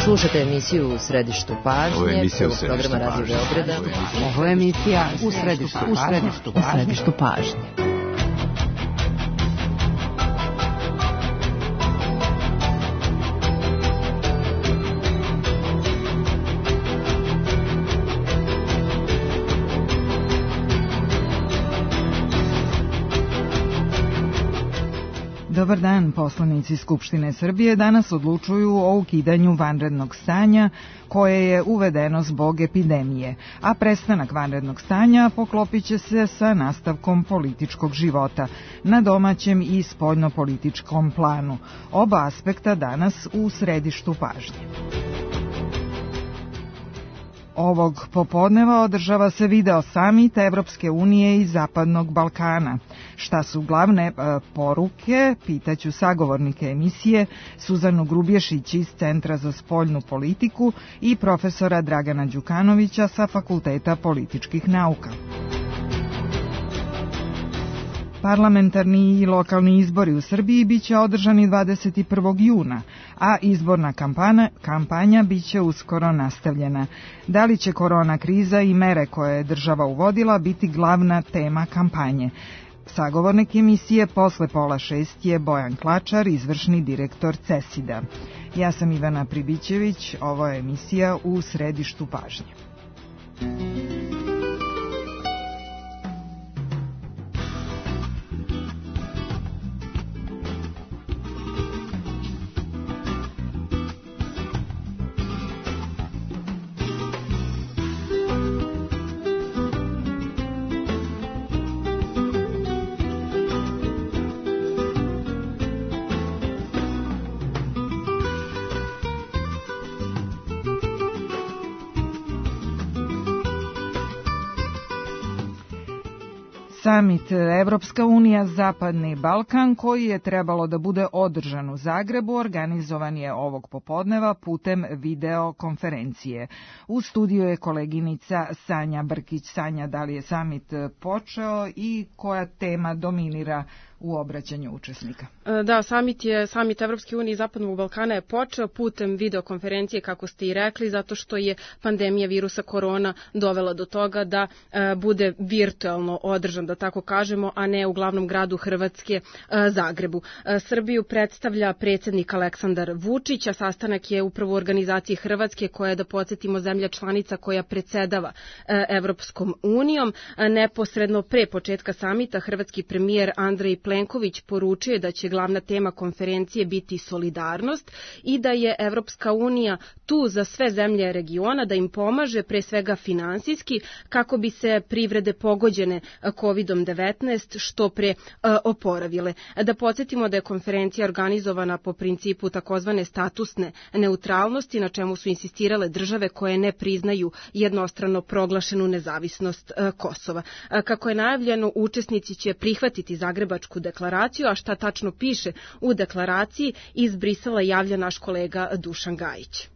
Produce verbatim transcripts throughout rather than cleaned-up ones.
Slušate emisiju U središtu pažnje, prvog programa Radio Beograda. Ovo je emisija U središtu pažnje. U središtu pažnje. Dobar dan, poslanici Skupštine Srbije danas odlučuju o ukidanju vanrednog stanja koje je uvedeno zbog epidemije, a prestanak vanrednog stanja poklopit će se sa nastavkom političkog života na domaćem i spoljnopolitičkom planu. Oba aspekta danas u središtu pažnje. Ovog popodneva održava se video samit Evropske unije i Zapadnog Balkana. Šta su glavne e, poruke, pitaću sagovornike emisije Suzanu Grubješić iz Centra za spoljnu politiku i profesora Dragana Đukanovića sa Fakulteta političkih nauka. Parlamentarni i lokalni izbori u Srbiji biće održani dvadeset prvog juna, a izborna kampanja, kampanja biće uskoro nastavljena. Da li će korona kriza i mere koje je država uvodila biti glavna tema kampanje? Sagovornik emisije posle pola šest je Bojan Klačar, izvršni direktor CESID-a. Ja sam Ivana Pribićević, ovo je emisija U središtu pažnje. Samit Evropska unija Zapadni Balkan, koji je trebalo da bude održan u Zagrebu, organizovan je ovog popodneva putem videokonferencije. U studiju je koleginica Sanja Brkić. Sanja, da li je samit počeo i koja tema dominira u obraćanju učesnika? Da, samit je samit Evropske unije i Zapadnog Balkana je počeo putem videokonferencije, kako ste i rekli, zato što je pandemija virusa korona dovela do toga da e, bude virtualno održan, da tako kažemo, a ne u glavnom gradu Hrvatske, e, Zagrebu. E, Srbiju predstavlja predsjednik Aleksandar Vučić, a sastanak je upravo u organizaciji Hrvatske, koja je, da podsjetimo, zemlja članica koja predsedava e, Evropskom unijom. E, neposredno pre početka samita hrvatski premijer Andrej Plenković poručuje da će glavna tema konferencije biti solidarnost i da je Evropska unija tu za sve zemlje regiona, da im pomaže pre svega finansijski kako bi se privrede pogođene kovid devetnaest što pre oporavile. Da podsjetimo da je konferencija organizovana po principu takozvane statusne neutralnosti, na čemu su insistirale države koje ne priznaju jednostrano proglašenu nezavisnost Kosova. Kako je najavljeno, učesnici će prihvatiti Zagrebačku deklaraciju, a šta tačno piše u deklaraciji iz Brisela javlja naš kolega Dušan Gajić.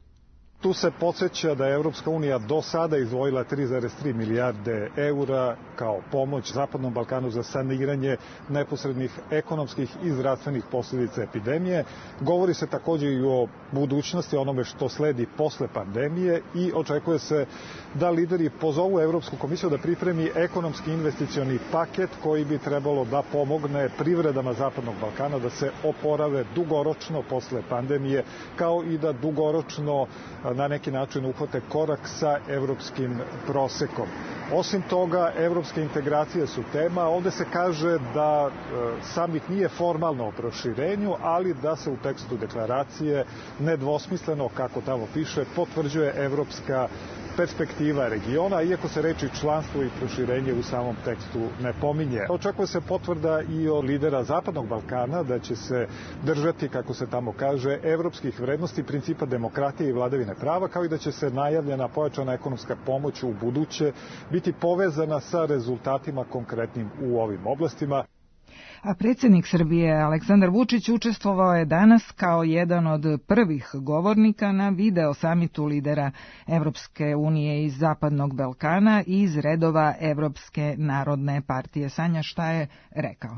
Tu se podsjeća da je Evropska unija do sada izdvojila tri zarez tri milijarde eura kao pomoć Zapadnom Balkanu za saniranje neposrednih ekonomskih i zdravstvenih posljedica epidemije. Govori se također i o budućnosti, onome što sledi posle pandemije i očekuje se da lideri pozovu Evropsku komisiju da pripremi ekonomski investicioni paket koji bi trebalo da pomogne privredama Zapadnog Balkana da se oporave dugoročno posle pandemije, kao i da dugoročno na neki način uhvate korak sa evropskim prosekom. Osim toga, evropske integracije su tema. Ovde se kaže da samit nije formalno o proširenju, ali da se u tekstu deklaracije nedvosmisleno, kako tamo piše, potvrđuje evropska perspektiva regiona, iako se reči članstvo i proširenje u samom tekstu ne pominje. Očekuje se potvrda i od lidera Zapadnog Balkana da će se držati, kako se tamo kaže, evropskih vrednosti, principa demokratije i vladavine prava, kao i da će se najavljena pojačana ekonomska pomoć u buduće biti povezana sa rezultatima konkretnim u ovim oblastima. A predsjednik Srbije Aleksandar Vučić učestvovao je danas kao jedan od prvih govornika na video samitu lidera Evropske unije iz Zapadnog Balkana i iz redova Evropske narodne partije. Sanja, šta je rekao?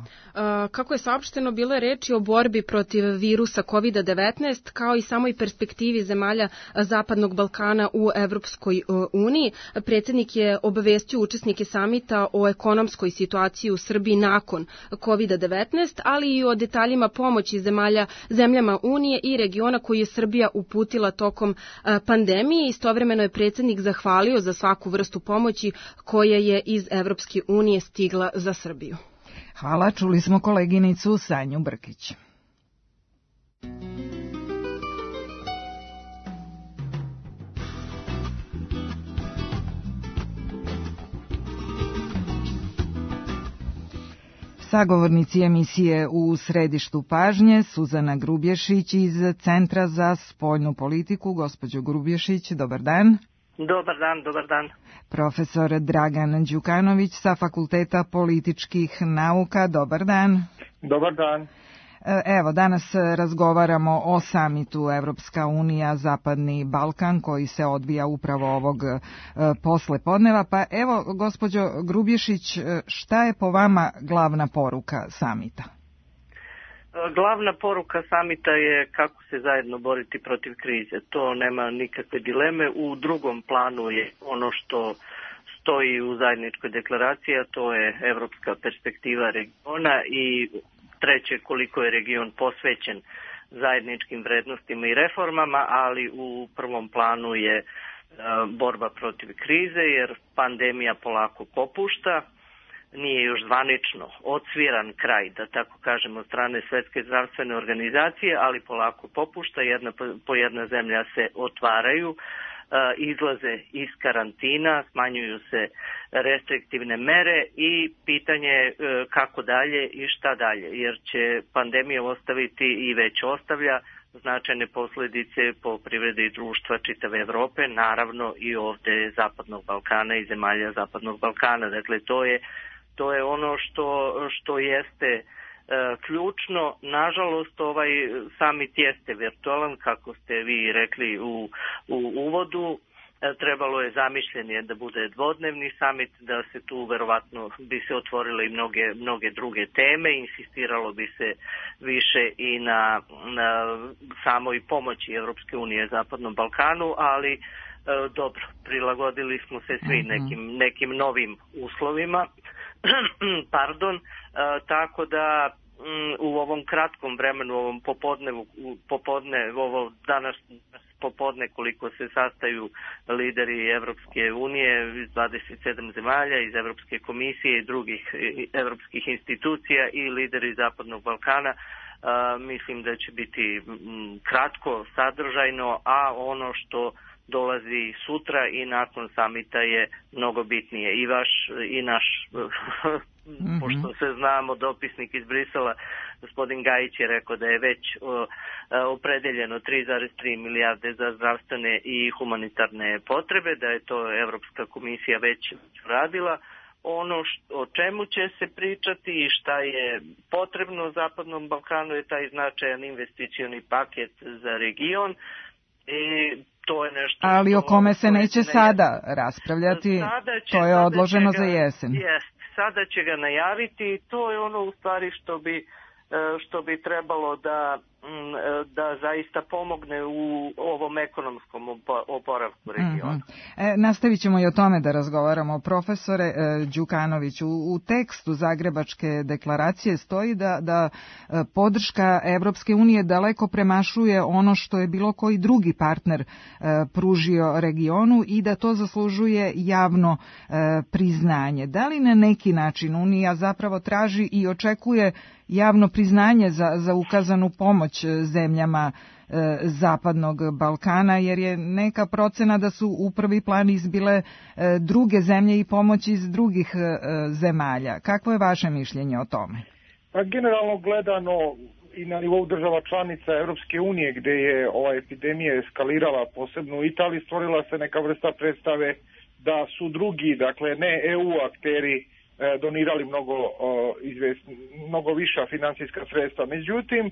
Kako je saopšteno, bilo je reči o borbi protiv virusa kovid devetnaest, kao i samoj perspektivi zemalja Zapadnog Balkana u Evropskoj uniji. Predsjednik je obavestio učesnike samita o ekonomskoj situaciji u Srbiji nakon kovid devetnaest, ali i o detaljima pomoći zemalja, zemljama Unije i regiona koji je Srbija uputila tokom pandemije. Istovremeno je predsjednik zahvalio za svaku vrstu pomoći koja je iz Evropske unije stigla za Srbiju. Hvala, čuli smo koleginicu Sanju Brkić. Sagovornici emisije U središtu pažnje, Suzana Grubješić iz Centra za spoljnu politiku. Gospođo Grubješić, dobar dan. Dobar dan, dobar dan. Profesor Dragan Đukanović sa Fakulteta političkih nauka, dobar dan. Dobar dan. Evo, danas razgovaramo o samitu Evropska unija Zapadni Balkan koji se odvija upravo ovog posle podneva. Pa evo, gospođo Grubješić, šta je po vama glavna poruka samita? Glavna poruka samita je kako se zajedno boriti protiv krize. To nema nikakve dileme. U drugom planu je ono što stoji u zajedničkoj deklaraciji, a to je evropska perspektiva regiona i treće, koliko je region posvećen zajedničkim vrednostima i reformama, ali u prvom planu je borba protiv krize, jer pandemija polako popušta. Nije još zvanično odsviran kraj, da tako kažemo, od strane Svetske zdravstvene organizacije, ali polako popušta, jedna po jedna zemlja se otvaraju, izlaze iz karantina, smanjuju se restriktivne mere i pitanje je kako dalje i šta dalje, jer će pandemija ostaviti i već ostavlja značajne posljedice po privredi i društva čitave Evrope, naravno i ovde Zapadnog Balkana i zemalja Zapadnog Balkana. Dakle, to je To je ono što, što jeste e, ključno. Nažalost, ovaj samit jeste virtualan, kako ste vi rekli u, u uvodu. E, trebalo je zamišljen da bude dvodnevni samit, da se tu verovatno bi se otvorile i mnoge, mnoge druge teme, insistiralo bi se više i na, na samoj pomoći Evropske unije Zapadnom Balkanu, ali e, dobro, prilagodili smo se svi nekim, nekim novim uslovima. Pardon, e, tako da m, u ovom kratkom vremenu, u ovom popodnevu, popodne, ovo danas popodne koliko se sastaju lideri Evropske unije iz dvadeset sedam zemalja, iz Evropske komisije i drugih evropskih institucija i lideri Zapadnog Balkana, a, mislim da će biti m, kratko, sadržajno, a ono što dolazi sutra i nakon samita je mnogo bitnije. I vaš i naš, mm-hmm. pošto se znamo, dopisnik iz Brisela, gospodin Gajić je rekao da je već o, opredeljeno tri zarez tri milijarde za zdravstvene i humanitarne potrebe, da je to Evropska komisija već radila. Ono što, o čemu će se pričati i šta je potrebno Zapadnom Balkanu je taj značajan investicioni paket za region. I to je nešto. Ali o kome se neće sada raspravljati, sada će, to je odloženo ga, za jesen. Jest, sada će ga najaviti i to je ono u stvari što bi, što bi trebalo da, da zaista pomogne u ovom ekonomskom oporavku regiona. Mm-hmm. E, nastavit ćemo i o tome da razgovaramo. Profesore e, Đukanović, u, u tekstu Zagrebačke deklaracije stoji da, da e, podrška Evropske unije daleko premašuje ono što je bilo koji drugi partner e, pružio regionu i da to zaslužuje javno e, priznanje. Da li na neki način Unija zapravo traži i očekuje javno priznanje za, za ukazanu pomoć zemljama e, Zapadnog Balkana, jer je neka procena da su u prvi plan izbile e, druge zemlje i pomoć iz drugih e, zemalja. Kakvo je vaše mišljenje o tome? Pa generalno gledano i na nivou država članica Evropske unije, gde je ova epidemija eskalirala, posebno u Italiji, stvorila se neka vrsta predstave da su drugi, dakle ne E U akteri, donirali mnogo, izvest, mnogo viša finansijska sredstva. Međutim,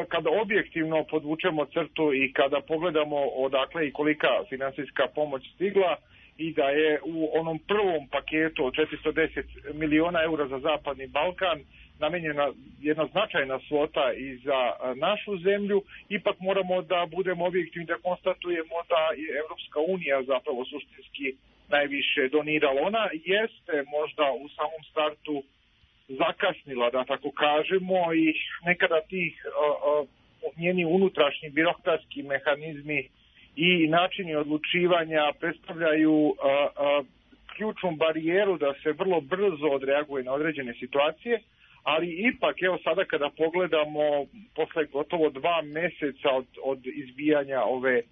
kada objektivno podvučemo crtu i kada pogledamo odakle i kolika finansijska pomoć stigla i da je u onom prvom paketu od četiristo deset miliona eura za Zapadni Balkan namenjena jedna značajna svota i za našu zemlju, ipak moramo da budemo objektivni, da konstatujemo da je Evropska unija zapravo suštinski najviše donirala. Ona jeste možda u samom startu zakasnila, da tako kažemo, i nekada tih uh, uh, njeni unutrašnji birokratski mehanizmi i načini odlučivanja predstavljaju uh, uh, ključnu barijeru da se vrlo brzo odreaguje na određene situacije, ali ipak, evo sada kada pogledamo posle gotovo dva meseca od, od izbijanja ove e,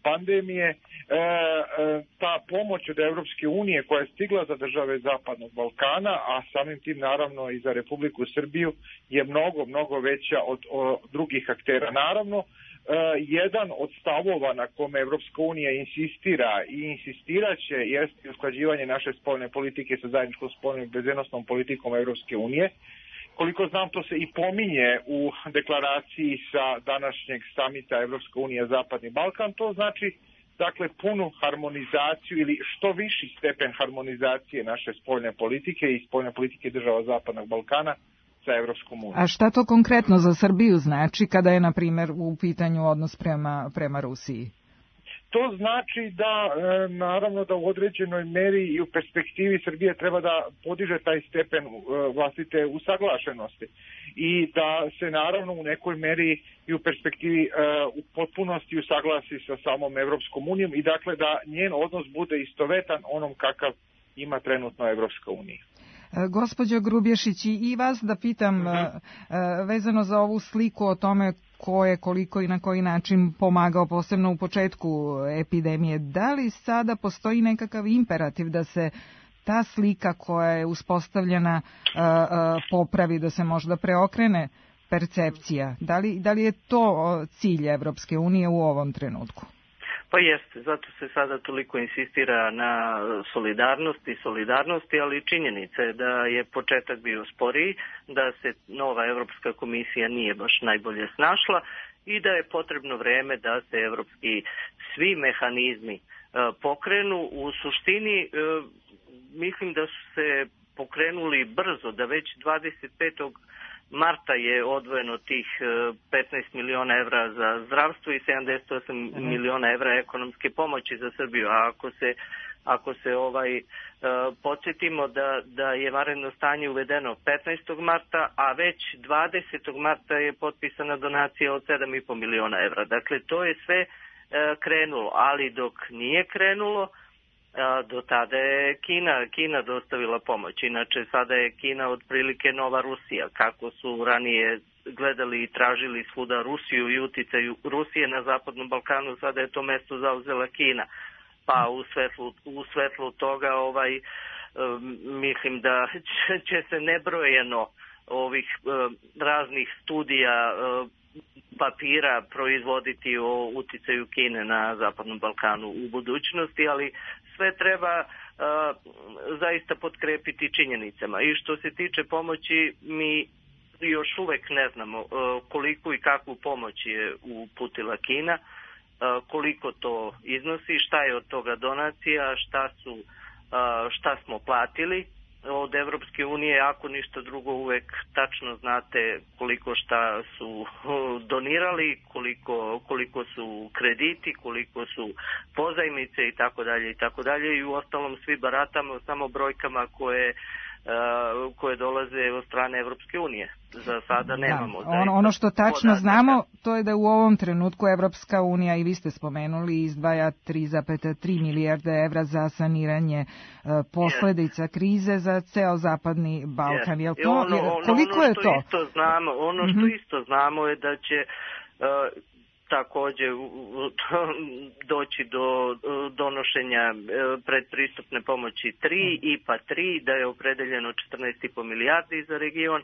pandemije, e, e, ta pomoć od Evropske unije koja je stigla za države Zapadnog Balkana, a samim tim naravno i za Republiku Srbiju, je mnogo, mnogo veća od, od drugih aktera. Naravno, Uh, jedan od stavova na kome Evropska unija insistira i insistiraće jeste usklađivanje naše spoljne politike sa zajedničkom spoljnom bezbednosnom politikom Evropske unije. Koliko znam, to se i pominje u deklaraciji sa današnjeg samita Evropska unija Zapadni Balkan. To znači, dakle, punu harmonizaciju ili što viši stepen harmonizacije naše spoljne politike i spoljne politike država Zapadnog Balkana sa Evropskom unijom. A šta to konkretno za Srbiju znači kada je, na primjer, u pitanju odnos prema, prema Rusiji? To znači da, e, naravno, da u određenoj meri i u perspektivi Srbije treba da podiže taj stepen e, vlastite usaglašenosti i da se, naravno, u nekoj meri i u perspektivi e, u potpunosti usaglasi sa samom Evropskom unijom i, dakle, da njen odnos bude istovetan onom kakav ima trenutno Evropska unija. Gospođo Grubješić, i vas da pitam uh-huh. vezano za ovu sliku o tome ko je koliko i na koji način pomagao, posebno u početku epidemije. Da li sada postoji nekakav imperativ da se ta slika koja je uspostavljena uh, uh, popravi, da se možda preokrene percepcija? Da li, da li je to cilj Evropske unije u ovom trenutku? Pa jeste, zato se sada toliko insistira na solidarnosti, solidarnosti, ali činjenica je da je početak bio sporiji, da se nova Evropska komisija nije baš najbolje snašla i da je potrebno vreme da se evropski svi mehanizmi pokrenu. U suštini mislim da su se pokrenuli brzo, da već dvadeset petog marta je odvojeno tih petnaest miliona evra za zdravstvo i sedamdeset osam mm-hmm. miliona evra ekonomske pomoći za Srbiju. A ako se, ako se ovaj, uh, podsjetimo da, da je vanredno stanje uvedeno petnaestog marta, a već dvadesetog marta je potpisana donacija od sedam i po miliona evra. Dakle, to je sve uh, krenulo, ali dok nije krenulo, do tada je Kina, Kina dostavila pomoć. Inače, sada je Kina otprilike nova Rusija. Kako su ranije gledali i tražili svuda Rusiju i uticaju Rusije na Zapadnom Balkanu, sada je to mesto zauzela Kina. Pa u svetlu, u svetlu toga ovaj, um, mislim da će, će se nebrojeno ovih um, raznih studija um, papira proizvoditi o uticaju Kine na Zapadnom Balkanu u budućnosti, ali sve treba uh, zaista potkrepiti činjenicama. I što se tiče pomoći, mi još uvek ne znamo uh, koliko i kakvu pomoć je uputila Kina, uh, koliko to iznosi, šta je od toga donacija, šta su, uh, šta smo platili od Evropske unije. Ako ništa drugo, uvek tačno znate koliko šta su donirali, koliko, koliko su krediti, koliko su pozajmice i tako dalje i tako dalje. I u ostalom svi baratamo samo brojkama koje Uh, koje dolaze od strane Evropske unije. Za sada nemamo. Da, ono, ono što tačno podataka. Znamo, to je da u ovom trenutku Evropska unija, i vi ste spomenuli, izdvaja tri zarez tri milijarde evra za saniranje uh, posledica yes. krize za ceo Zapadni Balkan. Yes. To, ono, ono, koliko ono je to? Isto znamo, ono što mm-hmm. isto znamo je da će uh, takođe doći do donošenja predpristupne pomoći tri, I P A tri, da je opredeljeno četrnaest i po milijardi za region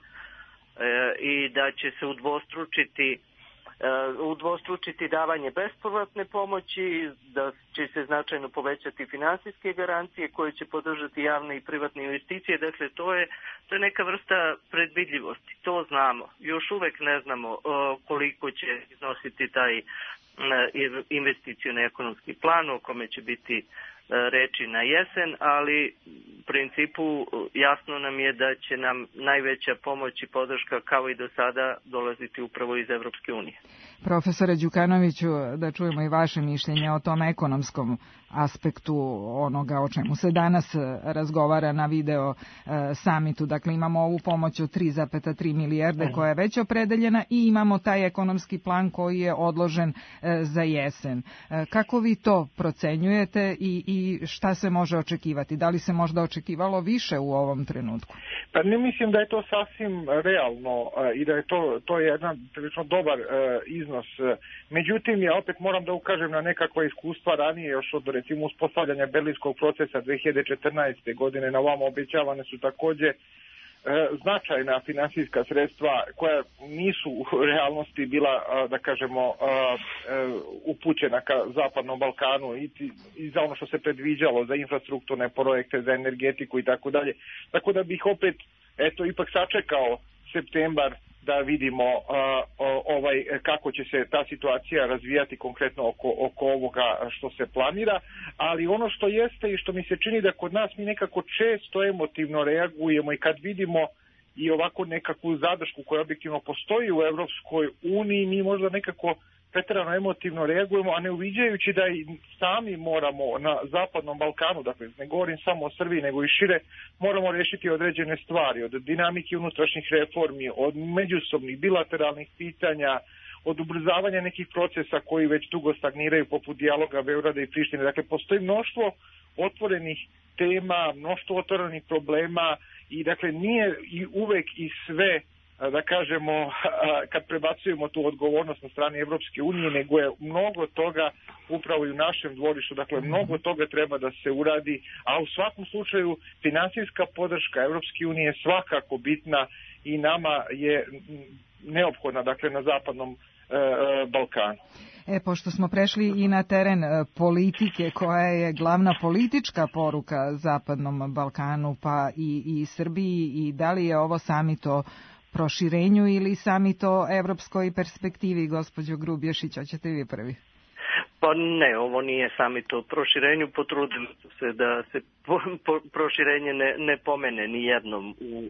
i da će se udvostručiti udvostručiti davanje bespovratne pomoći, da će se značajno povećati finansijske garancije koje će podržati javne i privatne investicije. Dakle, to je, to je neka vrsta predvidljivosti. To znamo. Još uvek ne znamo koliko će iznositi taj investicioni ekonomski plan o kome će biti reči na jesen, ali u principu jasno nam je da će nam najveća pomoć i podrška kao i do sada dolaziti upravo iz Evropske unije. Profesore Đukanoviću, da čujemo i vaše mišljenje o tom ekonomskom aspektu onoga o čemu se danas razgovara na video samitu. Dakle, imamo ovu pomoć od tri zarez tri milijarde koja je već opredeljena i imamo taj ekonomski plan koji je odložen za jesen. Kako vi to procenjujete i, i šta se može očekivati? Da li se možda očekivalo više u ovom trenutku? Pa ne mislim da je to sasvim realno i da je to, to je jedan prilično dobar iznos. Međutim, ja opet moram da ukažem na nekakva iskustva ranije, još od recimo uspostavljanja Berlinskog procesa dve hiljade četrnaeste. godine. Na ovamo obećavane su takođe značajna finansijska sredstva koja nisu u realnosti bila, da kažemo, upućena ka Zapadnom Balkanu i, i za ono što se predviđalo za infrastrukturne projekte, za energetiku i tako dalje. Tako da bih opet, eto, ipak sačekao septembar da vidimo uh, ovaj kako će se ta situacija razvijati konkretno oko, oko ovoga što se planira, ali ono što jeste i što mi se čini da kod nas mi nekako često emotivno reagujemo i kad vidimo i ovako nekakvu zadršku koja objektivno postoji u Evropskoj uniji, mi možda nekako preterano emotivno reagujemo, a ne uviđajući da i sami moramo na Zapadnom Balkanu, dakle ne govorim samo o Srbiji nego i šire, moramo rešiti određene stvari, od dinamike unutrašnjih reformi, od međusobnih bilateralnih pitanja, od ubrzavanja nekih procesa koji već dugo stagniraju poput dijaloga Beograda i Prištine. Dakle, postoji mnoštvo otvorenih tema, mnoštvo otvorenih problema i dakle nije i uvek i sve, da kažemo, kad prebacujemo tu odgovornost na strani Evropske unije, nego je mnogo toga upravo i u našem dvorištu, dakle mnogo toga treba da se uradi, a u svakom slučaju finansijska podrška Evropske unije je svakako bitna i nama je neophodna, dakle, na Zapadnom e, Balkanu. E, pošto smo prešli i na teren politike, koja je glavna politička poruka Zapadnom Balkanu, pa i, i Srbiji, i da li je ovo samit o proširenju ili samit o evropskoj perspektivi, gospođo Grubješić, hoćete vi prvi? Pa ne, ovo nije samit o proširenju, potrudili su se da se po, po, proširenje ne, ne pomene ni jednom u,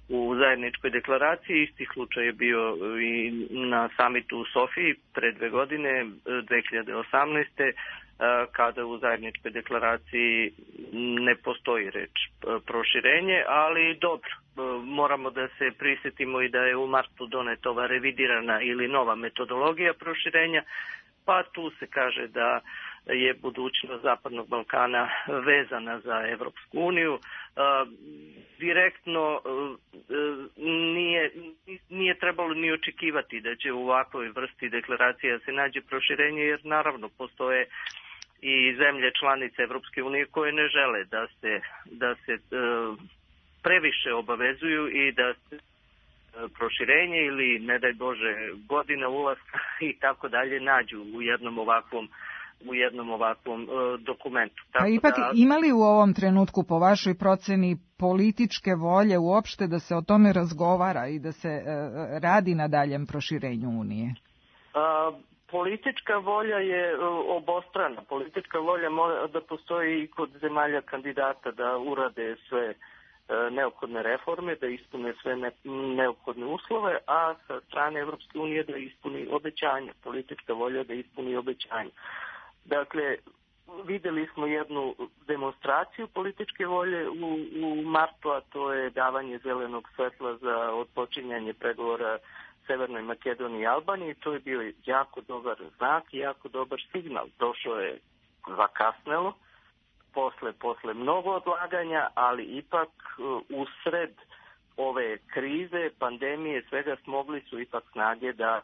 u zajedničkoj deklaraciji. Isti slučaj je bio i na samitu u Sofiji pre dve godine, dve hiljade osamnaeste. kada u zajedničkoj deklaraciji ne postoji reč proširenje, ali dobro, moramo da se prisjetimo i da je u martu doneta ova revidirana ili nova metodologija proširenja, pa tu se kaže da je budućnost Zapadnog Balkana vezana za Evropsku uniju. Direktno nije, nije trebalo ni očekivati da će u ovakvoj vrsti deklaracija se nađe proširenje, jer naravno postoje i zemlje članice Evropske unije koje ne žele da se, da se previše obavezuju i da se proširenje ili, ne daj Bože, godina ulaska i tako dalje nađu u jednom ovakvom u jednom ovakvom uh, dokumentu. Tako a ipak da, ima li u ovom trenutku po vašoj proceni političke volje uopšte da se o tome razgovara i da se uh, radi na daljem proširenju Unije? Uh, politička volja je uh, obostrana. Politička volja mora da postoji i kod zemalja kandidata da urade sve uh, neophodne reforme, da ispune sve ne, neophodne uslove, a sa strane Evropske unije da ispuni obećanja. Politička volja da ispuni obećanja. Dakle, videli smo jednu demonstraciju političke volje u, u martu, a to je davanje zelenog svetla za odpočinjanje pregovora Severnoj Makedoniji i Albaniji. To je bio jako dobar znak i jako dobar signal. Došao je zakasnelo, posle, posle mnogo odlaganja, ali ipak usred ove krize, pandemije, svega smogli su ipak snage da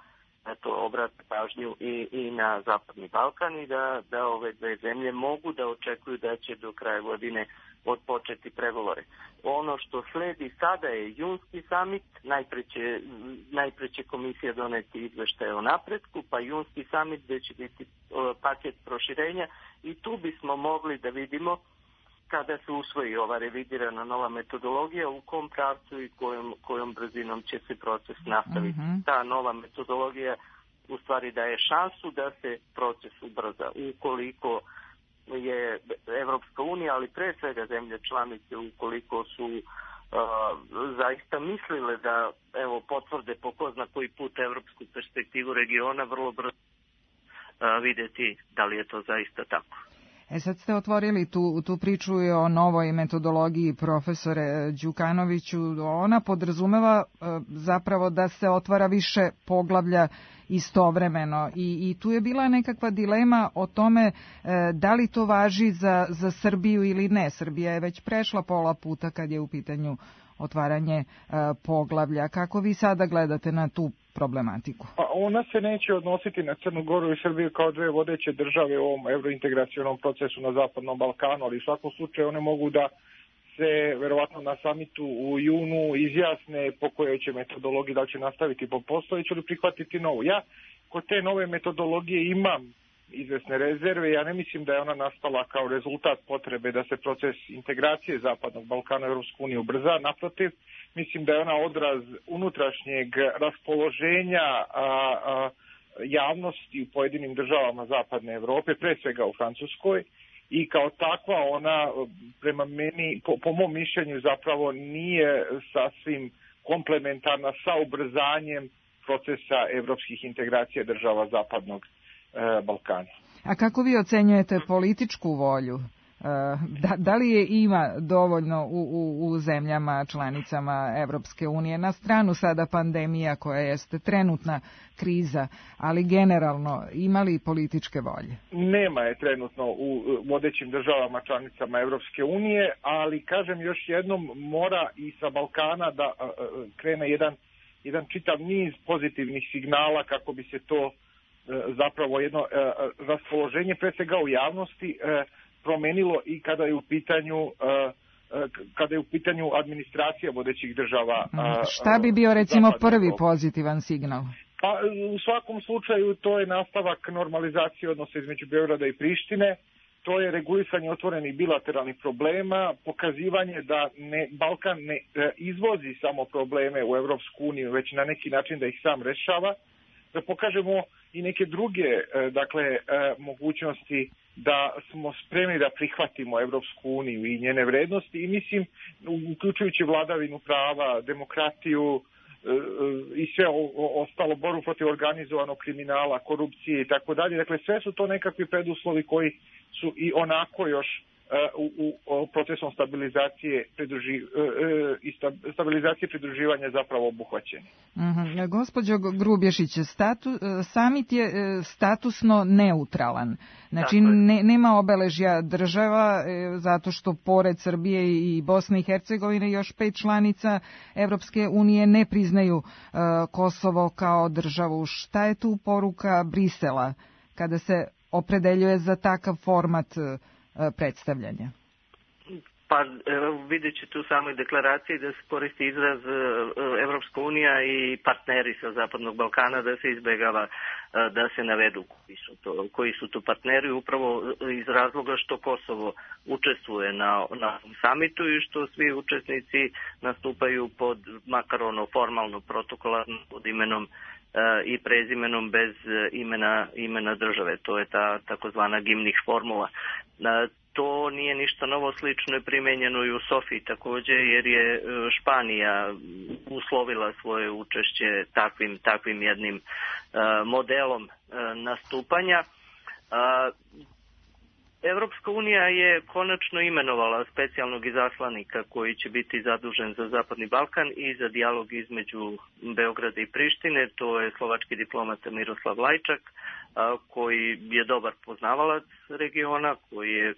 eto, obrate pažnju i, i na Zapadni Balkan i da, da ove dve zemlje mogu da očekuju da će do kraja godine odpočeti pregovore. Ono što sledi sada je junski samit, najpre će, najpre će komisija doneti izveštaje o napretku, pa junski samit gde će biti paket proširenja i tu bismo mogli da vidimo kada se usvoji ova revidirana nova metodologija, u kom pravcu i kojom, kojom brzinom će se proces nastaviti. Mm-hmm. Ta nova metodologija u stvari daje šansu da se proces ubrza. Ukoliko je Evropska unija, ali pre svega zemlje članice, ukoliko su uh, zaista mislile da evo potvrde po ko zna koji put evropsku perspektivu regiona, vrlo brzo uh, vidjeti da li je to zaista tako. E sad ste otvorili tu, tu priču o novoj metodologiji, profesore Đukanoviću. Ona podrazumeva e, zapravo da se otvara više poglavlja istovremeno i, i tu je bila nekakva dilema o tome e, da li to važi za, za Srbiju ili ne. Srbija je već prešla pola puta kad je u pitanju otvaranje e, poglavlja. Kako vi sada gledate na tu problematiku? Pa ona se neće odnositi na Crnu Goru i Srbiju kao dve vodeće države u ovom evrointegracionom procesu na Zapadnom Balkanu, ali u svakom slučaju one mogu da se verovatno na samitu u junu izjasne po kojoj će metodologiji, da li će nastaviti po postojeću ili prihvatiti novu. Ja kod te nove metodologije imam izvesne rezerve. Ja ne mislim da je ona nastala kao rezultat potrebe da se proces integracije Zapadnog Balkana u Europsku uniju ubrza. Naprotiv, mislim da je ona odraz unutrašnjeg raspoloženja a, a, javnosti u pojedinim državama Zapadne Evrope, pre svega u Francuskoj, i kao takva ona prema meni, po, po mom mišljenju zapravo nije sasvim komplementarna sa ubrzanjem procesa evropskih integracija država Zapadnog Balkana. A kako vi ocenjujete političku volju? Da, da li je ima dovoljno u, u, u zemljama članicama Evropske unije, na stranu sada pandemija koja jeste trenutna kriza, ali generalno ima li političke volje? Nema je trenutno u vodećim državama članicama Evropske unije, ali kažem još jednom, mora i sa Balkana da krene jedan, jedan čitav niz pozitivnih signala kako bi se to zapravo jedno raspoloženje pre svega u javnosti promenilo i kada je u pitanju kada je u pitanju administracija vodećih država. Šta bi bio recimo prvi pozitivan signal? Pa u svakom slučaju to je nastavak normalizacije odnosa između Beograda i Prištine. To je regulisanje otvorenih bilateralnih problema, pokazivanje da ne, Balkan ne izvozi samo probleme u Evropsku uniju, već na neki način da ih sam rešava, da pokažemo i neke druge dakle mogućnosti da smo spremni da prihvatimo Evropsku uniju i njene vrednosti i mislim, uključujući vladavinu prava, demokratiju i sve ostalo, borbu protiv organizovanog kriminala, korupcije i tako dalje. Dakle, sve su to nekakvi preduslovi koji su i onako još u, u procesom stabilizacije, pridruži, i stabilizacije pridruživanja zapravo obuhvaćeni. Mm-hmm. Gospođo Grubješić, statu, samit je statusno neutralan. Znači ne, nema obeležja država zato što pored Srbije i Bosne i Hercegovine još pet članica Evropske unije ne priznaju uh, Kosovo kao državu. Šta je tu poruka Brisela kada se opredeljuje za takav format predstavljanja? Pa vidjet ćete u samoj deklaraciji da se koristi izraz Evropska unija i partneri sa Zapadnog Balkana, da se izbegava da se navedu koji su to, koji su to partneri, upravo iz razloga što Kosovo učestvuje na, na samitu i što svi učesnici nastupaju pod, makar ono formalno, protokolarno, pod imenom i prezimenom bez imena, imena države. To je ta takozvana gimnih formula. To nije ništa novo, slično je primenjeno i u Sofiji također, jer je Španija uslovila svoje učešće takvim, takvim jednim uh, modelom uh, nastupanja. Uh, Evropska unija je konačno imenovala specijalnog izaslanika koji će biti zadužen za Zapadni Balkan i za dijalog između Beograda i Prištine. To je slovački diplomata Miroslav Lajčak, koji je dobar poznavalac regiona, koji je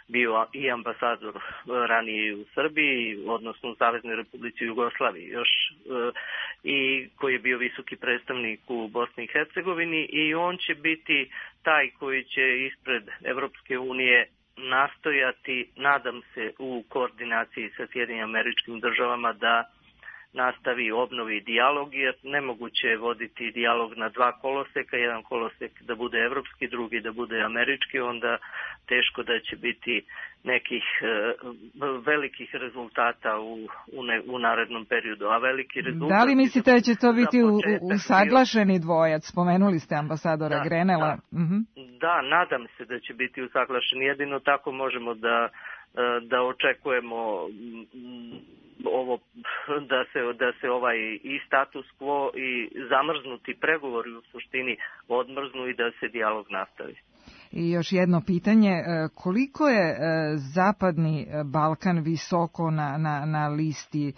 bio i ambasador ranije u Srbiji, odnosno u Saveznoj Republici Jugoslaviji još, i koji je bio visoki predstavnik u Bosni i Hercegovini, i on će biti taj koji će ispred Evropske unije nastojati, nadam se, u koordinaciji sa Sjedinjenim Američkim Državama da nastavi, obnovi dijalog, jer nemoguće je voditi dijalog na dva koloseka, jedan kolosek da bude evropski, drugi da bude američki, onda teško da će biti nekih e, velikih rezultata u, u, ne, u narednom periodu. A veliki rezultat... Da li mislite da će to biti usaglašeni dvojac? Spomenuli ste ambasadora da, Grenela. Da, uh-huh. da, nadam se da će biti usaglašeni. Jedino tako možemo da, da očekujemo ovo, da se, da se ovaj i status quo i zamrznuti pregovori u suštini odmrznu i da se dijalog nastavi. I još jedno pitanje, koliko je Zapadni Balkan visoko na, na, na listi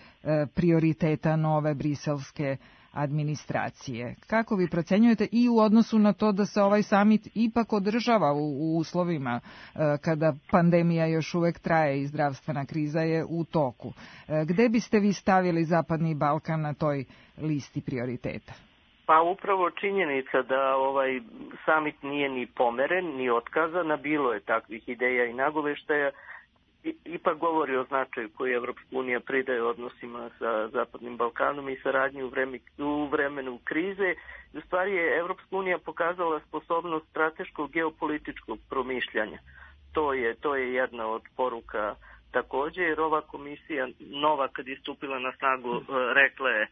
prioriteta nove briselske administracije? Kako vi procenjujete i u odnosu na to da se ovaj samit ipak održava u, u uslovima kada pandemija još uvek traje i zdravstvena kriza je u toku? Gde biste vi stavili Zapadni Balkan na toj listi prioriteta? Pa upravo činjenica da ovaj samit nije ni pomeren, ni otkazan, a bilo je takvih ideja i nagoveštaja, ipak govori o značaju koji Evropska unija pridaje odnosima sa Zapadnim Balkanom i saradnji u, vreme, u vremenu krize. U stvari je Evropska unija pokazala sposobnost strateškog geopolitičkog promišljanja. To je, to je jedna od poruka takođe, jer ova komisija nova kad je stupila na snagu rekla je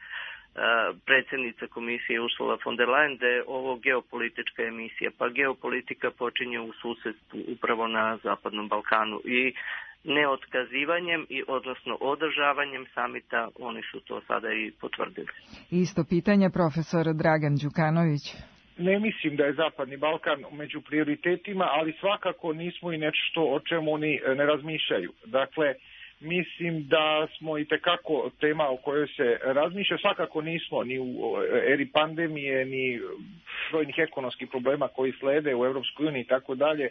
predsjednica komisije Ursula von der Leyen da je ovo geopolitička emisija, pa geopolitika počinje u susedstvu upravo na Zapadnom Balkanu i neotkazivanjem i odnosno održavanjem samita oni su to sada i potvrdili. Isto pitanje, profesor Dragan Đukanović. Ne mislim da je Zapadni Balkan među prioritetima, ali svakako nismo i nešto o čemu oni ne razmišljaju. Dakle, mislim da smo i tekako tema o kojoj se razmišlja, svakako nismo ni u eri pandemije, ni brojnih ekonomskih problema koji slede u Evropskoj uniji i tako dalje,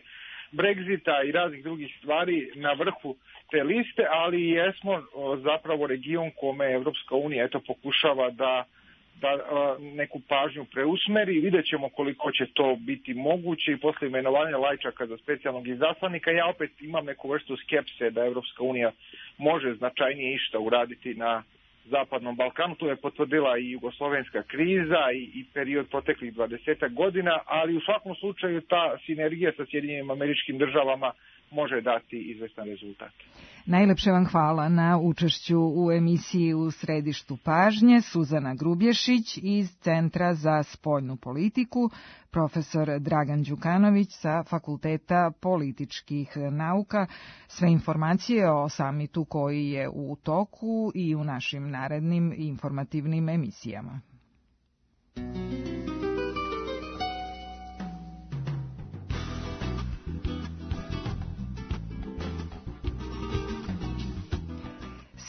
Brexita i raznih drugih stvari na vrhu te liste, ali jesmo zapravo region kome Evropska unija eto pokušava da da neku pažnju preusmeri. Vidjet ćemo koliko će to biti moguće i posle imenovanja Lajčaka za specijalnog izaslanika. Ja opet imam neku vrstu skepse da Evropska unija može značajnije išta uraditi na Zapadnom Balkanu. Tu je potvrdila i jugoslovenska kriza i, i period proteklih dvadesetak godina, ali u svakom slučaju ta sinergija sa Sjedinjenim Američkim Državama može dati izvestan rezultat. Najlepše vam hvala na učešću u emisiji U središtu pažnje. Suzana Grubješić iz Centra za spoljnu politiku, profesor Dragan Đukanović sa Fakulteta političkih nauka. Sve informacije o samitu koji je u toku i u našim narednim informativnim emisijama.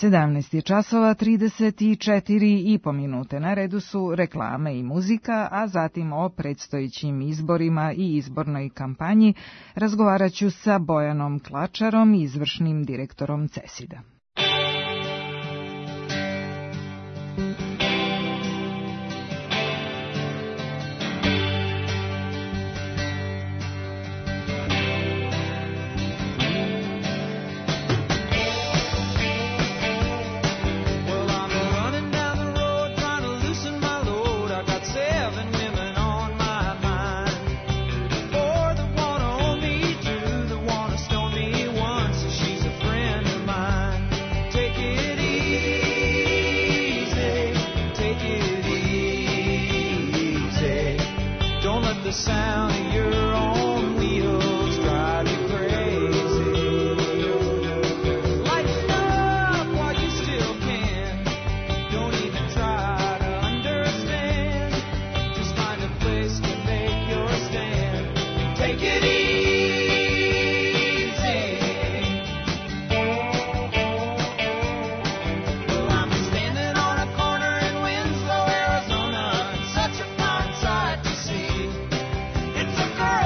sedamnaest je časova trideset četiri i po minute. Na redu su reklame i muzika, a zatim o predstojećim izborima i izbornoj kampanji razgovarat ću sa Bojanom Klačarom, izvršnim direktorom CESID-a. It's a girl.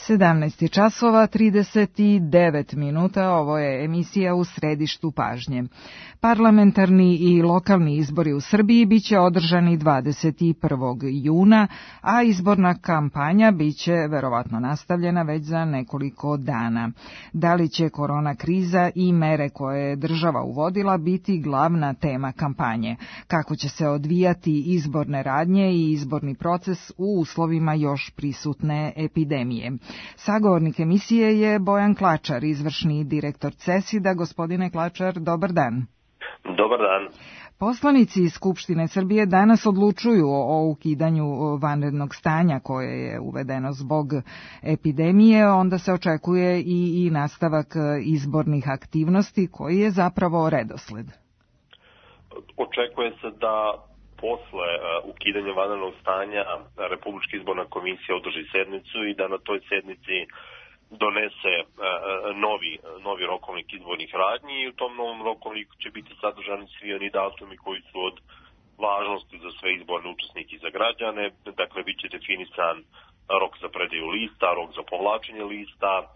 sedamnaest časova trideset devet minuta, ovo je emisija U središtu pažnje. Parlamentarni i lokalni izbori u Srbiji biće održani dvadeset prvog juna, a izborna kampanja biće verovatno nastavljena već za nekoliko dana. Da li će korona kriza i mere koje je država uvodila biti glavna tema kampanje? Kako će se odvijati izborne radnje i izborni proces u uslovima još prisutne epidemije? Sagovornik emisije je Bojan Klačar, izvršni direktor CESID-a. Gospodine Klačar, dobar dan. Dobar dan. Poslanici iz Skupštine Srbije danas odlučuju o ukidanju vanrednog stanja koje je uvedeno zbog epidemije, onda se očekuje i, i nastavak izbornih aktivnosti, koji je zapravo redosled. Očekuje se da posle uh, ukidanja vanrednog stanja Republička izborna komisija održi sednicu i da na toj sednici donese uh, novi, novi rokovnik izbornih radnji i u tom novom rokovniku će biti sadržani svi oni datumi koji su od važnosti za sve izborne učesnike i za građane. Dakle, bit će definisan rok za predaju lista, rok za povlačenje lista, uh,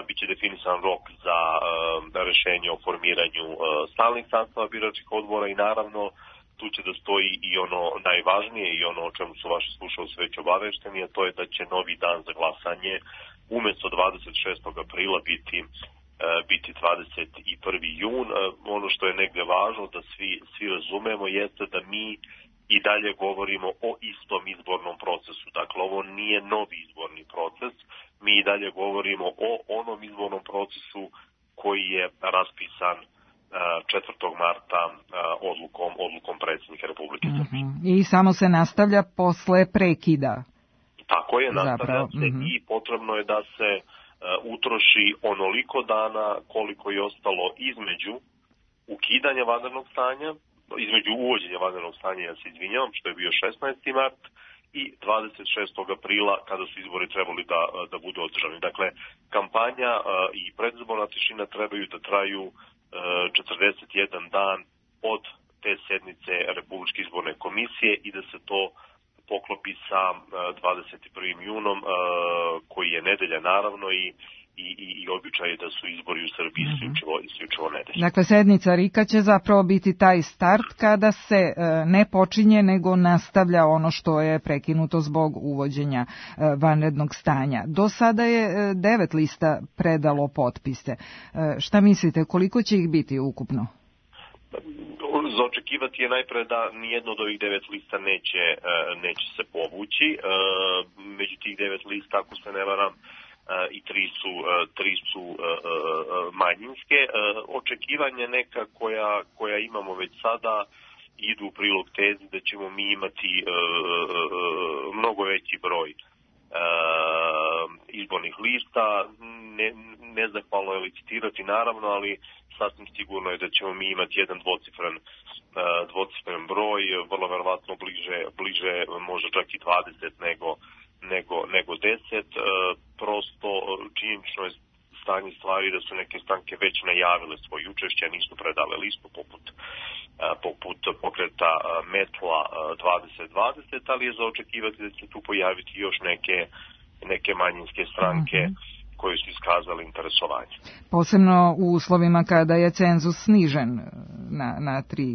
bit će definisan rok za uh, rešenje o formiranju uh, stalnih sastava biračkih odbora i naravno tu će da stoji i ono najvažnije i ono o čemu su vaši slušalci već obavešteni, a to je da će novi dan za glasanje umesto dvadeset šestog aprila biti, uh, biti dvadeset prvi jun. Uh, ono što je negde važno da svi, svi razumemo jeste da mi i dalje govorimo o istom izbornom procesu. Dakle, ovo nije novi izborni proces, mi i dalje govorimo o onom izbornom procesu koji je raspisan četvrtog marta odlukom, odlukom predsjednika Republike Srbije. Mm-hmm. I samo se nastavlja posle prekida. Tako je, nastavlja se mm-hmm. i potrebno je da se uh, utroši onoliko dana koliko je ostalo između ukidanja vanrednog stanja, između uvođenja vanrednog stanja, ja se izvinjavam, što je bio šesnaesti mart, i dvadeset šestog aprila kada su izbori trebali da, da budu održani. Dakle, kampanja uh, i predizborna tišina trebaju da traju četrdeset jedan dan od te sednice Republičke izborne komisije i da se to poklopi sa dvadeset prvim junom, koji je nedelja naravno i i i, i običaj je da su izbori u Srbiji isključivo mm-hmm. isključivo nedelja. Dakle, sednica R I K-a će zapravo biti taj start kada se e, ne počinje nego nastavlja ono što je prekinuto zbog uvođenja e, vanrednog stanja. Do sada je e, devet lista predalo potpise. E, šta mislite, koliko će ih biti ukupno? Za očekivati je najpre da nijedno od ovih devet lista neće, e, neće se povući. E, među tih devet lista, ako se ne varam, Uh, i tri su, uh, tri su uh, uh, manjinske. Uh, očekivanja neka koja, koja imamo već sada idu u prilog tezi da ćemo mi imati uh, uh, mnogo veći broj uh, izbornih lista. Ne, nezahvalno je licitirati naravno, ali sasvim sigurno je da ćemo mi imati jedan dvocifren, uh, dvocifren broj, vrlo verovatno bliže, bliže možda čak i dvadeset nego nego nego deset. E, prosto činjenično je stanje stvari da su neke stranke već najavile svoje učešće, nisu predale listu poput e, poput pokreta e, Metla e, dvadeset dvadeset, ali je za očekivati da će tu pojaviti još neke neke manjinske stranke mm-hmm. koji su iskazali interesovanje. Posebno u uslovima kada je cenzus snižen na, na tri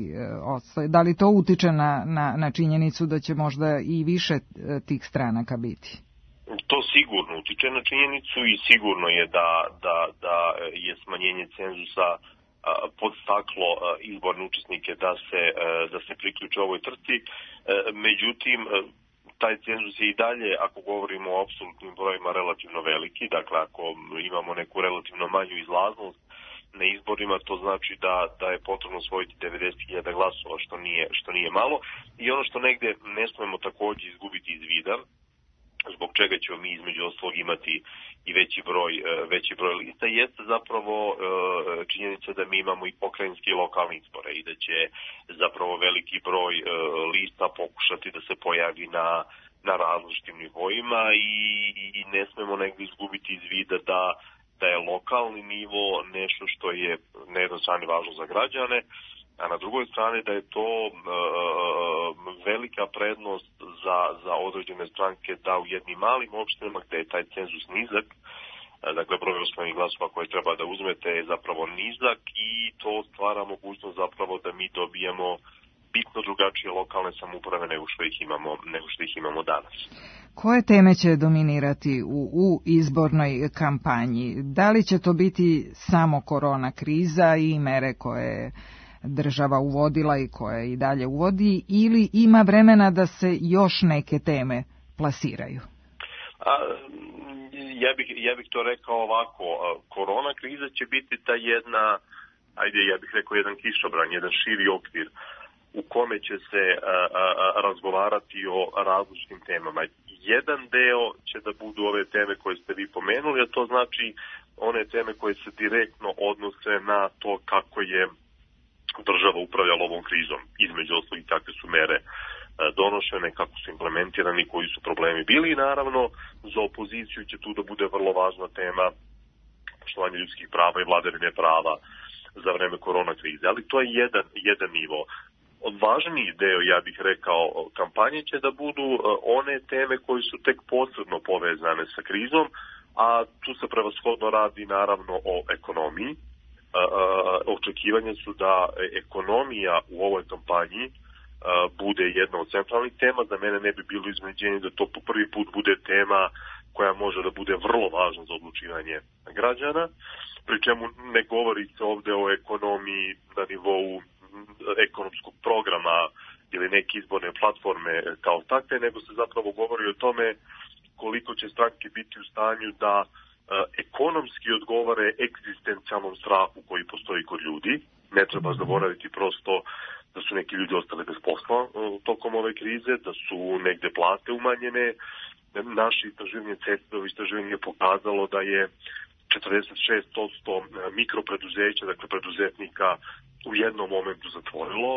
odstoje. Da li to utiče na, na, na činjenicu da će možda i više tih stranaka biti? To sigurno utiče na činjenicu i sigurno je da, da, da je smanjenje cenzusa podstaklo izborne učesnike da se, da se priključe ovoj trci. Međutim, taj cenzus je i dalje, ako govorimo o apsolutnim brojima, relativno veliki. Dakle, ako imamo neku relativno manju izlaznost na izborima, to znači da, da je potrebno osvojiti devedeset hiljada glasova, što nije, što nije malo. I ono što negde ne smemo takođe izgubiti iz vida, zbog čega ćemo mi između ostalog imati i veći broj, veći broj lista, jeste zapravo činjenica da mi imamo i pokrajinske i lokalne izbore i da će zapravo veliki broj lista pokušati da se pojavi na, na različitim nivoima i, i ne smemo negdje izgubiti iz vida da, da je lokalni nivo nešto što je na jednoj strani važno za građane, a na drugoj strani da je to uh, velika prednost za, za određene stranke da u jednim malim opštinama gde je taj cenzus nizak, dakle broj osnovnih glasova koje treba da uzmete je zapravo nizak i to stvara mogućnost zapravo da mi dobijemo bitno drugačije lokalne samouprave nego što ih imamo, nego što ih imamo danas. Koje teme će dominirati u, u izbornoj kampanji? Da li će to biti samo korona kriza i mere koje država uvodila i koje i dalje uvodi, ili ima vremena da se još neke teme plasiraju? A, ja bih, ja bih to rekao ovako, korona kriza će biti ta jedna, ajde ja bih rekao jedan kišobran, jedan širi okvir u kome će se a, a, razgovarati o različitim temama. Jedan deo će da budu ove teme koje ste vi pomenuli, a to znači one teme koje se direktno odnose na to kako je država upravljala ovom krizom. Između ostalih kakve su mere donošene, kako su implementirani, koji su problemi bili i naravno za opoziciju će tu da bude vrlo važna tema poštovanje ljudskih prava i vladavine prava za vreme korona krize. Ali to je jedan, jedan nivo. Važniji deo, ja bih rekao, kampanje će da budu one teme koje su tek posredno povezane sa krizom, a tu se prevashodno radi naravno o ekonomiji. Očekivanje su da ekonomija u ovoj kampanji bude jedna od centralnih tema. Za mene ne bi bilo iznenađenje da to po prvi put bude tema koja može da bude vrlo važna za odlučivanje građana, pri čemu ne govori se ovde o ekonomiji na nivou ekonomskog programa ili neke izborne platforme kao takve, nego se zapravo govori o tome koliko će stranke biti u stanju da e, ekonomski odgovore egzistencijalnom strahu koji postoji kod ljudi. Ne treba zaboraviti prosto da su neki ljudi ostali bez posla tokom ove krize, da su negde plate umanjene. Naše istraživanje CESPA-ovo istraživanje je pokazalo da je četrdeset šest posto mikropreduzeća, dakle preduzetnika, u jednom momentu zatvorilo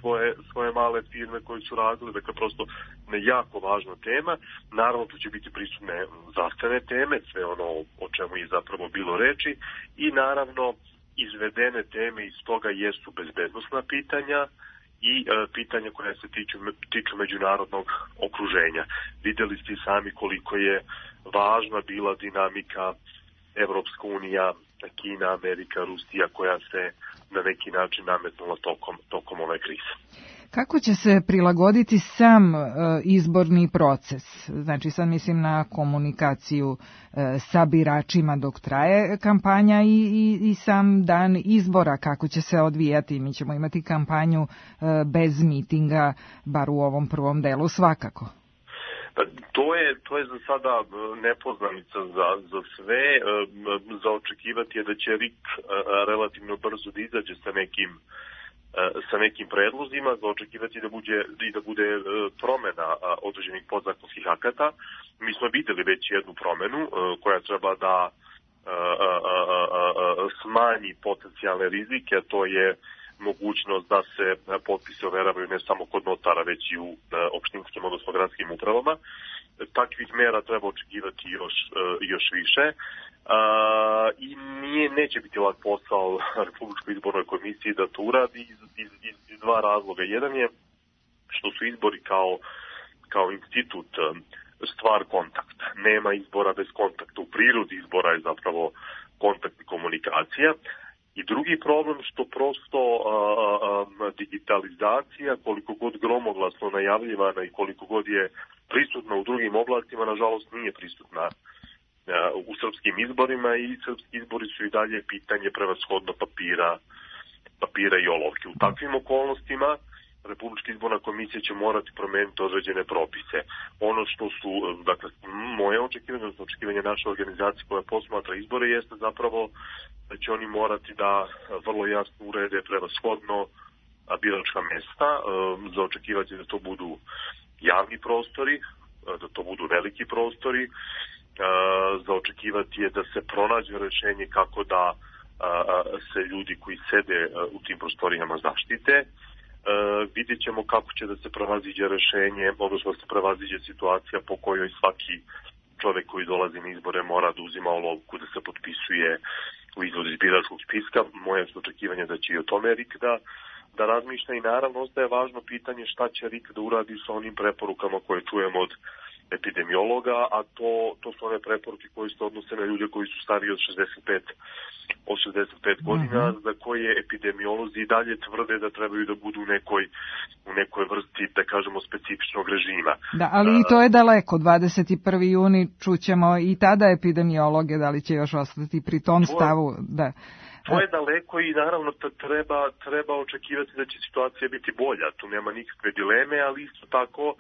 svoje, svoje male firme koje su radili, dakle prosto jako važna tema. Naravno tu će biti prisutne zdravstvene teme, sve ono o čemu je zapravo bilo reči i naravno izvedene teme iz toga jesu bezbednosna pitanja i e, pitanja koja se tiču, tiču međunarodnog okruženja. Videli ste sami koliko je važna bila dinamika Evropska unija, Kina, Amerika, Rusija koja se na neki način nametnula tokom, tokom ove krize. Kako će se prilagoditi sam e, izborni proces? Znači sad mislim na komunikaciju e, sa biračima dok traje kampanja i, i, i sam dan izbora, kako će se odvijati. Mi ćemo imati kampanju e, bez mitinga, bar u ovom prvom delu svakako. To je, to je za sada nepoznanica za, za sve. Za očekivati je da će R I K relativno brzo da izađe sa nekim sa nekim predlozima, za očekivati da bude, da bude promena određenih podzakonskih akata. Mi smo videli već jednu promenu koja treba da smanji potencijalne rizike, a to je mogućnost da se potpise overavaju ne samo kod notara, već i u opštinskim, odnosno gradskim upravama. Takvih mera treba očekivati još, još više. I nije, neće biti lak posao Republičkoj izbornoj komisiji da to uradi iz, iz, iz dva razloga. Jedan je što su izbori kao, kao institut stvar kontakta. Nema izbora bez kontakta. U prirodi izbora je zapravo kontakt i komunikacija. I drugi problem što prosto a, a, digitalizacija, koliko god gromoglasno najavljivana i koliko god je prisutna u drugim oblastima, nažalost nije prisutna a, u srpskim izborima i srpski izbori su i dalje pitanje prevashodno papira, papira i olovke. U takvim okolnostima Republička izborna komisija će morati promeniti određene propise. Ono što su, dakle, moje očekivanje, odnosno očekivanje naše organizacije koja posmatra izbore jeste zapravo da će oni morati da vrlo jasno urede prevashodno biračka mesta. Za očekivati da to budu javni prostori, da to budu veliki prostori. Za očekivati je da se pronađe rešenje kako da se ljudi koji sede u tim prostorijama zaštite. Uh, vidjet ćemo kako će da se prevaziđe rešenje, odnosno da se prevaziđe situacija po kojoj svaki čovek koji dolazi na izbore mora da uzima olovku, da se potpisuje u izvodu iz biračkog spiska. Moje su očekivanje da će i o tome R I K da, da razmišlja i naravno ostaje važno pitanje šta će R I K da uradi sa onim preporukama koje čujemo od epidemiologa, a to, to su one preporuke koje se odnose na ljude koji su stariji od šezdeset pet, od šezdeset pet godina, uh-huh. za koje epidemiolozi i dalje tvrde da trebaju da budu u nekoj, u nekoj vrsti, da kažemo, specifičnog režima. Da, ali uh, i to je daleko, dvadeset prvi juni čućemo i tada epidemiologe, da li će još ostati pri tom to, stavu, da. To je daleko i naravno treba, treba očekivati da će situacija biti bolja, tu nema nikakve dileme, ali isto tako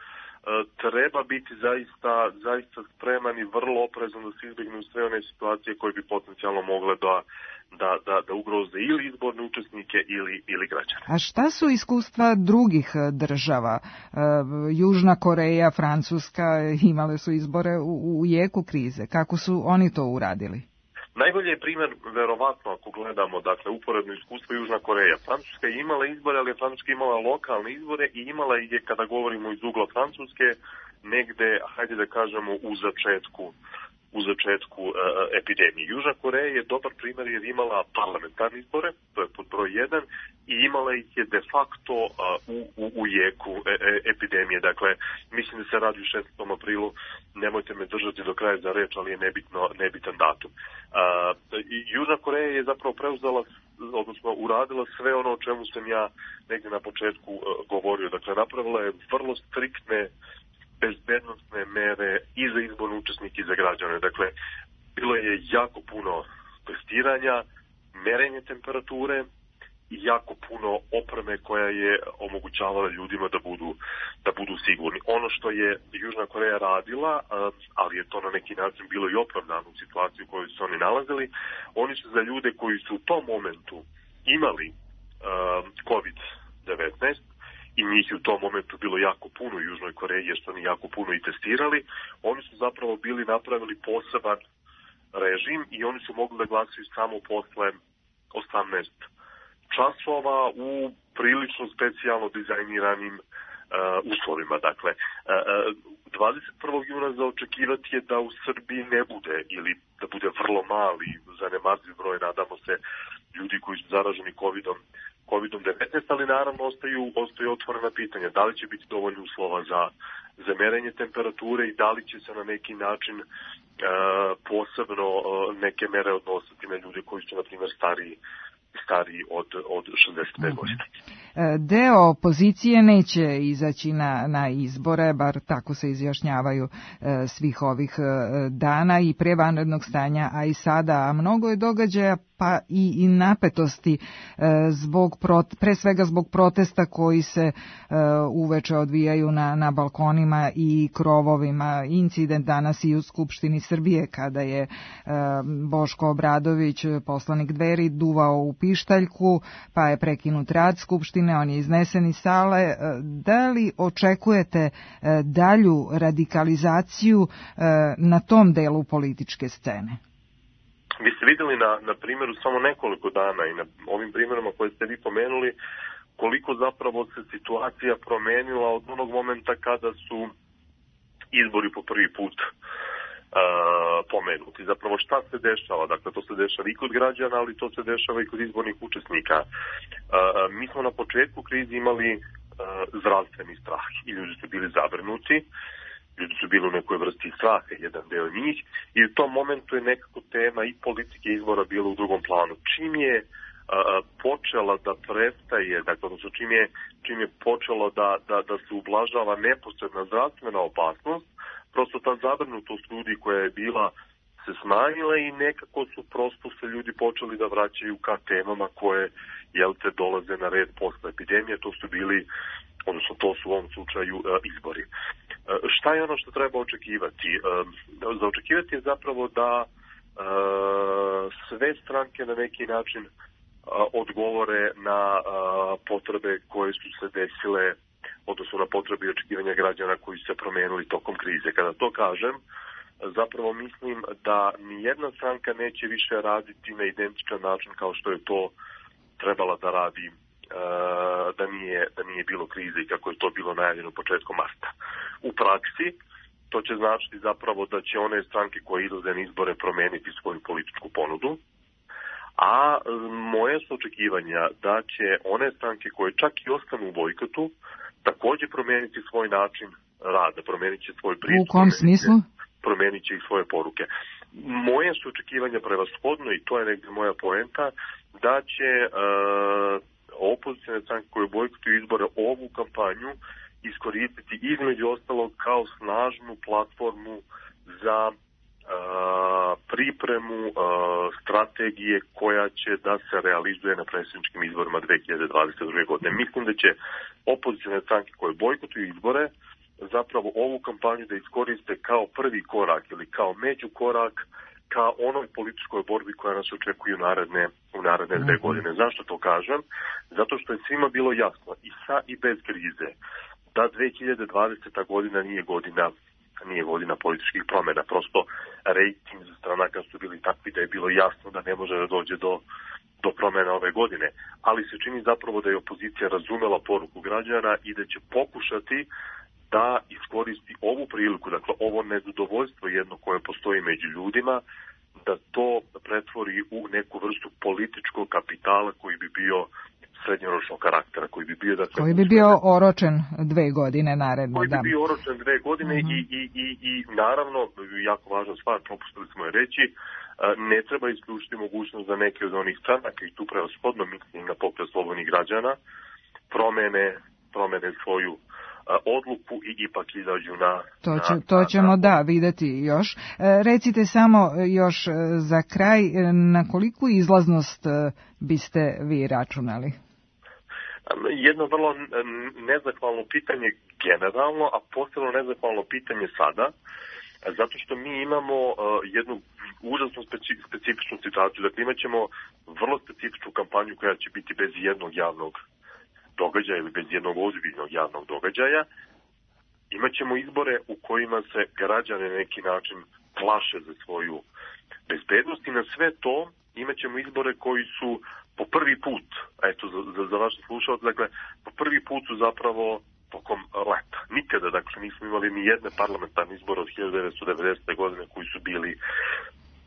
treba biti zaista, zaista spreman i vrlo oprezan da se izbjegnu sve one situacije koje bi potencijalno mogle da, da, da, da ugroze ili izborne učesnike ili, ili građane. A šta su iskustva drugih država? Južna Koreja, Francuska imale su izbore u, u jeku krize. Kako su oni to uradili? Najbolji je primjer, verovatno, ako gledamo, dakle, uporedno iskustvo Južna Koreja. Francuska je imala izbore, ali je Francuska imala lokalne izbore i imala je, kada govorimo iz ugla Francuske, negde, hajde da kažemo, u začetku, u začetku uh, epidemije. Južna Koreja je dobar primjer jer imala parlamentarne izbore, to je pod broj jedan, i imala ih je de facto uh, u, u, u jeku e, e, epidemije. Dakle, mislim da se radi u šesnaestom aprilu, nemojte me držati do kraja za reč, ali je nebitno, nebitan datum. Uh, Južna Koreja je zapravo preuzela, odnosno uradila sve ono o čemu sam ja negdje na početku uh, govorio. Dakle, napravila je vrlo striktne bezbednostne mere i za izborne učesnike i za građane. Dakle, bilo je jako puno testiranja, merenje temperature i jako puno opreme koja je omogućavala ljudima da budu, da budu sigurni. Ono što je Južna Koreja radila, ali je to na neki način bilo i opravdano u situaciji u kojoj su oni nalazili, oni su za ljude koji su u tom momentu imali kovid devetnaest, i njih je u tom momentu bilo jako puno u Južnoj Koreji, jer su oni jako puno i testirali, oni su zapravo bili napravili poseban režim i oni su mogli da glasaju samo posle osamnaest časova u prilično specijalno dizajniranim uh, uslovima. Dakle, uh, dvadeset prvog juna za očekivati je da u Srbiji ne bude ili da bude vrlo mali, zanemarljiv broj, nadamo se, ljudi koji su zaraženi covidom kovid devetnaest, ali naravno ostaju, ostaju otvorena pitanja. Da li će biti dovoljno uslova za, za merenje temperature i da li će se na neki način uh, posebno uh, neke mere odnositi na ljude koji su, na primjer, stariji, stariji od, od šezdeset pet godina. Deo opozicije neće izaći na, na izbore, bar tako se izjašnjavaju e, svih ovih e, dana i pre vanrednog stanja, a i sada, a mnogo je događaja pa i, i napetosti e, zbog prot, pre svega zbog protesta koji se e, uveče odvijaju na, na balkonima i krovovima. Incident danas i u Skupštini Srbije kada je e, Boško Obradović, poslanik Dveri, duvao u pištaljku, pa je prekinut rad Skupštine, on je iznesen iz sale. Da li očekujete dalju radikalizaciju na tom delu političke scene? Vi ste vidjeli na, na primjeru samo nekoliko dana i na ovim primjerima koje ste vi pomenuli koliko zapravo se situacija promenila od onog momenta kada su izbori po prvi put Uh, pomenuti. Zapravo šta se dešava? Dakle, to se dešava i kod građana, ali to se dešava i kod izbornih učesnika. Uh, mi smo na početku krize imali uh, zdravstveni strah i ljudi su bili zabrinuti, ljudi su bili u nekoj vrsti straha, jedan deo njih, i u tom momentu je nekako tema i politike izbora bila u drugom planu. Čim je uh, počela da prestaje, dakle, odnosno čim je, čim je počelo da, da, da se ublažava neposredna zdravstvena opasnost, prosto ta zabrinutost ljudi koja je bila se smanjila i nekako su prosto se ljudi počeli da vraćaju ka temama koje, jel te, dolaze na red posle epidemije. To su bili, odnosno to su u ovom slučaju izbori. Šta je ono što treba očekivati? Za očekivati je zapravo da sve stranke na neki način odgovore na potrebe koje su se desile, odnosno na potrebe i očekivanja građana koji su se promenili tokom krize. Kada to kažem, zapravo mislim da nijedna stranka neće više raditi na identičan način kao što je to trebala da radi da nije, da nije bilo krize i kako je to bilo najavljeno početkom marta. U praksi to će značiti zapravo da će one stranke koje idu za izbore promeniti svoju političku ponudu, A moje su očekivanja da će one stranke koje čak i ostanu u bojkotu takođe promeniti svoj način rada, promenit će svoj pristup. U kom smislu? Promenit će i svoje poruke. Moje su očekivanja prevashodno, i to je negdje moja poenta, da će uh, opozicijne stranke koje bojkotuju izbore ovu kampanju iskoristiti između ostalog kao snažnu platformu za uh, pripremu uh, strategije koja će da se realizuje na predsjedničkim izborima dve hiljade dvadeset druge. godine. Mislim da će opozicijne stranke koje bojkotuju izbore zapravo ovu kampanju da iskoriste kao prvi korak ili kao međukorak ka onoj političkoj borbi koja nas očekuje u naredne, u naredne dve godine. Zašto to kažem? Zato što je svima bilo jasno i sa i bez krize da dve hiljade dvadeseta. godina nije godina nije godina političkih promjena. Prosto rejting za stranaka su bili takvi da je bilo jasno da ne može da dođe do, do promjena ove godine. Ali se čini zapravo da je opozicija razumela poruku građana i da će pokušati da iskoristi ovu priliku, dakle ovo nezadovoljstvo jedno koje postoji među ljudima, da to pretvori u neku vrstu političkog kapitala koji bi bio srednjoročnog karaktera, koji bi bio da koji bi bio oročen dve godine naredne. Koji da. bi bio oročen dve godine uh-huh. i, i, i, i naravno, jako važna stvar, propustili smo je reći, ne treba isključiti mogućnost za neke od onih stranaka i tu prevashodno mislim na Pokret slobodnih građana, promene, promene svoju odluku i ipak izađu na... To, će, to ćemo na, da videti još. E, recite samo još za kraj, na koliku izlaznost biste vi računali? Jedno vrlo nezahvalno pitanje generalno, a posebno nezahvalno pitanje sada, zato što mi imamo uh, jednu užasno speci, specifičnu situaciju. Dakle, imat ćemo vrlo specifičnu kampanju koja će biti bez jednog javnog događaja ili bez jednog ozbiljnog javnog događaja. Imaćemo izbore u kojima se građane na neki način plaše za svoju bezbednost i na sve to imaćemo izbore koji su po prvi put, eto za, za, za vaše slušalce, dakle po prvi put su zapravo tokom leta. Nikada, dakle, nismo imali ni jedne parlamentarne izbore od hiljadu devetsto devedesete. godine koji su bili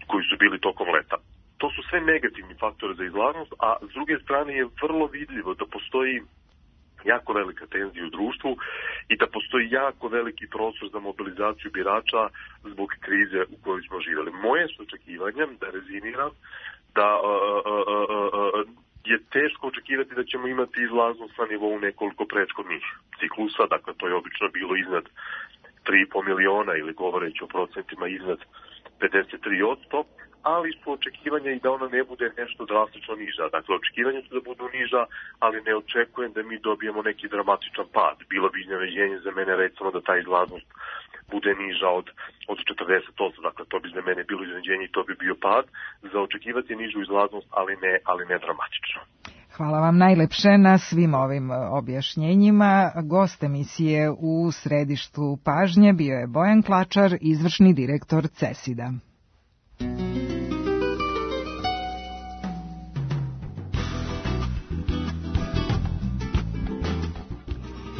koji su bili tokom leta. To su sve negativni faktori za izlaznost, a s druge strane je vrlo vidljivo da postoji jako velika tenzija u društvu i da postoji jako veliki prostor za mobilizaciju birača zbog krize u kojoj smo živjeli. Moje su očekivanje, da rezimiram, da uh, uh, uh, uh, je teško očekivati da ćemo imati izlaznost na nivou nekoliko prethodnih ciklusa, dakle to je obično bilo iznad tri i po miliona ili govoreći o procentima iznad pedeset tri posto, ali su očekivanja i da ona ne bude nešto drastično niža. Dakle, očekivanja su da budu niža, ali ne očekujem da mi dobijemo neki dramatičan pad. Bilo bi iznenađenje za mene recimo da ta izlaznost bude niža od, od četrdeset posto. Dakle, to bi za mene bilo iznenađenje i to bi bio pad. Za očekivati nižu izlaznost, ali ne, ali ne dramatično. Hvala vam najlepše na svim ovim objašnjenjima. Gost emisije u središtu pažnje bio je Bojan Klačar, izvršni direktor CESID-a.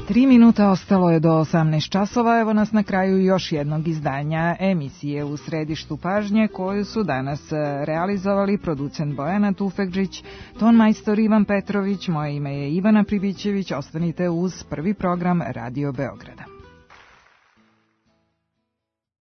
Tri minuta ostalo je do osamnaest časova, evo nas na kraju još jednog izdanja emisije u središtu pažnje koju su danas realizovali producent Bojana Tufekžić, tonmajstor Ivan Petrović, moje ime je Ivana Pribićević, ostanite uz prvi program Radio Beograd.